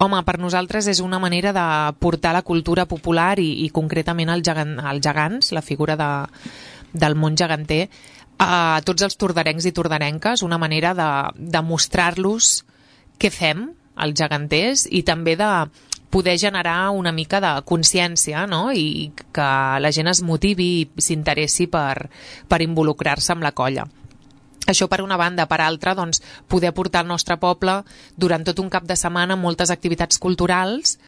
Home, per nosaltres és una manera de portar la cultura popular i concretament els gegants, la figura del món geganter, a tots els tordarencs i tordarenques, una manera de mostrar-los què fem, els geganters, i també de poder generar una mica de consciència, no? I que la gent es motivi i s'interessi per involucrar-se amb la colla. Això per una banda. Per altra, doncs, poder portar al nostre poble durant tot un cap de setmana moltes activitats culturals